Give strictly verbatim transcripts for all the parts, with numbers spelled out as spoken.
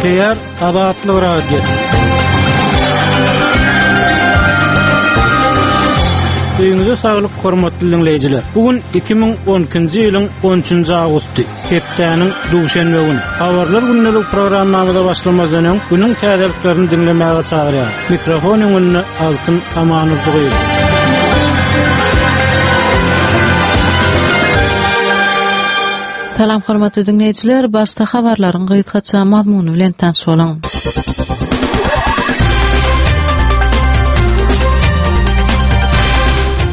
Gepleýär Azatlyk Radiosy. Öýüňize saglyk hormatly dinleýjiler. Bu gün iki müň on ikinji ýylyň on üçünji awgusty, hepdäniň duşenbe güni. Habarlar gündelik programmamyza başlamazdan öň günüň täzeliklerini diňlemäge çagyrýar. Mikrofon öňünde Altyn Amanurdyýew. Salam hormatly dinleýjiler, başda habarlaryň gysgaça mazmuny bilen tanyş boluň.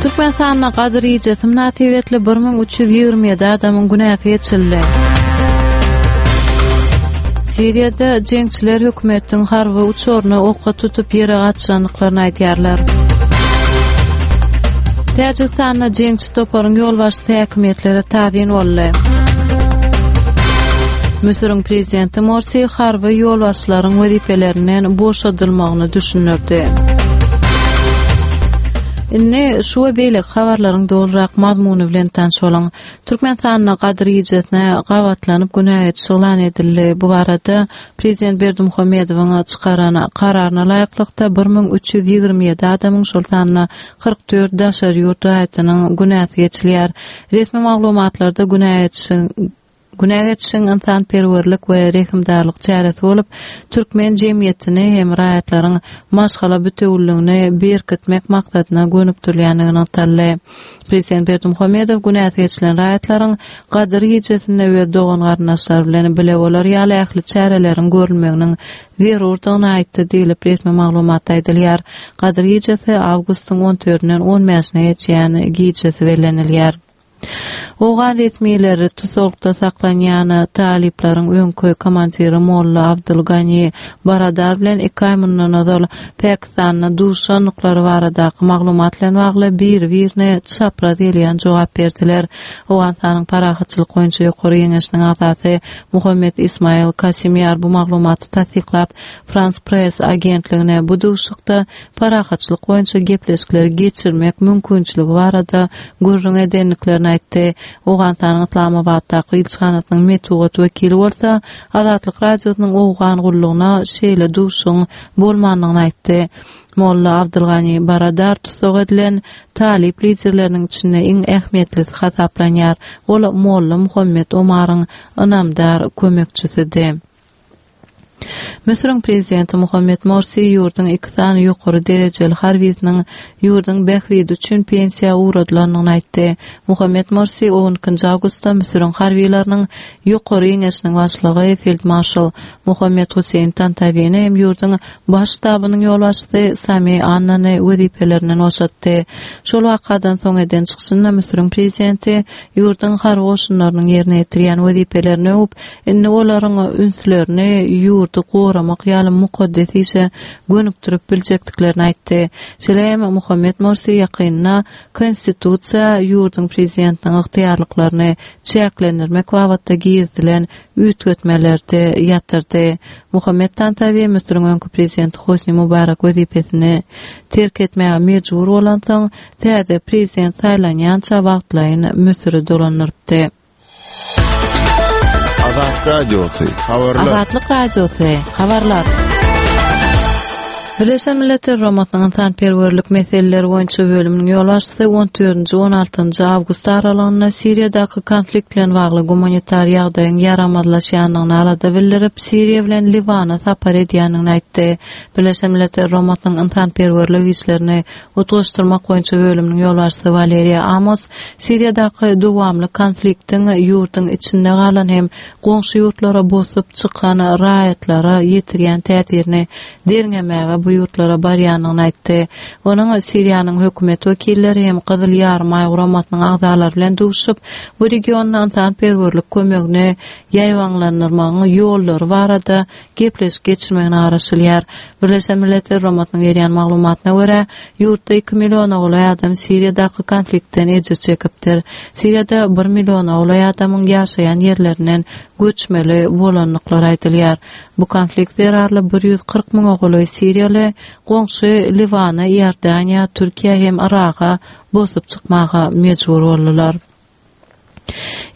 Türkmenistanda Gadyr gijesi mynasybetli bir müň üç ýüz ýigrimi ýedi adamyň günäsi geçildi. Siriýada jeňçiler hökümetiň harby uçaryny oka tutup ýere gaçyrandyklaryny aýdýarlar. Täjigistanda jeňçi toparyň ýolbaşçysy häkimiýetlere tabyn boldy. Müsüriň prezidenti Morsi harby ýolbaşçylaryň wezipelerinden boşadylmagyny düşündirdi. Indi şu we beýleki habarlaryň dolurak mazmuny bilen tanyş boluň. Türkmenistanda Gadyr gijesi gabatlanyp günä geçiş yglan edildi. Bu barada Prezident Berdimuhamedowyň çykaran kararyna laýyklykda bir müň üç ýüz ýigrimi ýedi adamyň, şol sanda kyrk dört daşary ýurt raýatynyň günäsi geçilýär. Resmi maglumatlarda günä geçişiň Günä geçişiň ynsanperwerlik we rehimdarlyk çäresi bolup, türkmen jemgyýetini hem raýatlaryň maşgala bütewüligini berkitmek maksadyna gönükdirilýändigi nygtaldy. Prezident Berdimuhamedow günäsi geçilen raýatlaryň Gadyr gijesinde öz dogan-garyndaşlary bilen bile bolar ýaly ähli çäreleriň görülmeginiň zerurdygyny aýtdy diýlip resmi maglumatda aýdylýar. Gadyr gijesi awgustyň on dördünden on bäşine geçýän gijesi bellenilýär. Owgan resmileri tusaglykda saklanýan talyplaryň öňki komandiri Molla Abdul Gani Baradar bilen iki aý mundan ozal Pakistanda duşandyklary baradaky maglumat bilen bagly bir-birine çapraz gelýän jogap berdiler. Owganystanyň parahatçylyk boýunça ýokary geňeşiniň agzasy Muhammed Ismail Kasimýar bu maglumaty tassyklap, Frans Press agentligine bu duşuşykda parahatçylyk boýunça gepleşikleri geçirmek mümkinçiligi barada gürrüň edendiklerini aýtdy. Owganystanyň Yslamabatdaky ilçihanasynyň metbugat wekili bolsa Azatlyk Radiosynyň Owgan gullugyna şeýle duşuşygyň bolmandygyny aýtdy. Molla Abdulgani Baradar tussag edilen talyp liderleriniň içinde iň ähmiýetlisi hasaplanýar. Ol Molla Muhammed Omaryň ynamdar kömekçisidi. Müsüriň prezidenti Muhammed Morsi ýurduň iki sany ýokary derejeli harbysynyň ýurduň bähbidi üçin pensiýa ugradylandygyny aýtdy. Muhammed Morsi on ikinji awgustda Müsüriň harbylarynyň ýokary geňeşiniň başlygy feldmarşal Muhammed Hüseýin Tantawini hem ýurduň baş ştabynyň ýolbaşçysy Sami Annany wezipelerinden boşatdy. Şol wakadan soň eden çykyşynda Müsüriň prezidenti ýurduň harby goşunlarynyň ýerine ýetirýän wezipelerini öwüp, indi olaryň ünslerini ýurdy goramak ýaly mukaddes işe gönükdirip biljekdiklerini aýtdy. Şeýle hem Muhammed Morsi ýakynda konstitusiýa ýurduň prezidentiniň ygtyýarlyklaryny çäklendirmek babatda girizilen üýtgetmeleri ýatyrdy. Muhammed Tantawi Müsüriň öňki prezidenti Hosni Mubarak wezipesini terk etmäge mejbur bolansoň, täze prezident saýlanýança wagtlaýyn Müsüri dolandyrypdy. Azatlyk Radiosy, habarlar. Azatlyk Radiosy, habarlar. Birleşen Milletler Guramasynyň ynsanperwerlik meseleleri boýunça bölüminiň ýolbaşçysy on dördünji on altynjy awgust aralygynda Siriýadaky konflikt bilen bagly gumanitar ýagdaýyň ýaramazlaşýandygyny alada bildirip, Siriýa bilen Liwana sapar edýändigini aýtdy. Birleşen Milletler Guramasynyň ynsanperwerlik işlerini utgaşdyrmak boýunça bölüminiň ýolbaşçysy Waleriýa Amos Siriýadaky dowamly konfliktiň ýurduň içinde galan hem goňşy ýurtlara bosup çykan raýatlara ýetirýän täsirini derňemäge bu ýurtlara barýandygyny aýtdy. Onuň Siriýanyň hökümet wekilleri hem Gyzyl Ýarymaý guramasynyň agzalary bilen duşup, bu regionda ynsanperwerlik kömegini ýaýbaňlandyrmagyň ýollary barada gepleşik geçirmegine garaşylýar. Birleşen Milletler Guramasynyň berýän maglumatyna görä, ýurtda iki milliona golaý adam Siriýadaky konfliktden ejir çekipdir. Siriýada bir milliona golaý adamyň ýaşaýan ýerlerinden göçmeli bolandyklary aýdylýar. Bu konflikt zerarly bir ýüz kyrk müňe golaý siriýaly goňşy Liwana, Iordaniýa, Türkiýe hem Yraga bosup çykmaga mejbur boldular.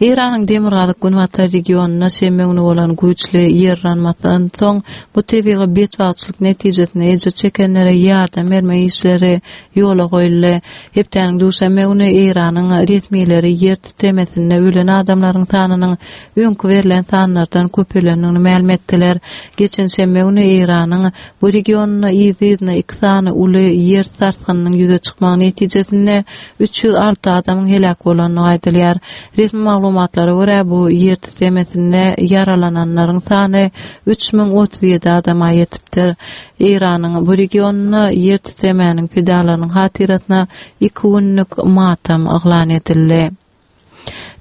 Eýranyň demirgazyk-günbatar regionynda şenbe güni bolan güýçli ýer yranmadan soň bu tebigy betbagtçylyk netijesinde ejir çekenlere ýardam bermek işleri ýola goýuldy. Hepdäniň duşenbe güni Eýranyň resmileri ýer titremesinde ölen adamlaryň sanynyň öňki berlen sanlardan köpelendigini mälim etdiler. Geçen şenbe güni Eýranyň bu regionynda yzly-yzyna iki sany uly ýer sarsgynynyň ýüze çykmagy netijesinde üç ýüz alty adamyň heläk bolandygy aýdylýar. Resmi maglumatlara görä, bu ýer titremesinde ýaralananlaryň sany üç müň otuz ýedi adama ýetipdir. Eýranyň bu regionynda ýer titremäniň pidalarynyň hatyrasyna iki günlük matam yglan edildi.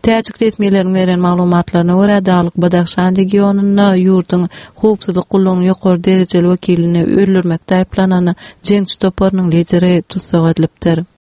Täjik resmileriniň beren maglumatlaryna görä, Daglyk-Badahşan regionynda ýurduň howpsuzlyk gullugynyň ýokary derejeli wekilini öldürmekde aýyplanan jeňçi toparynyň lideri tussag edilipdir.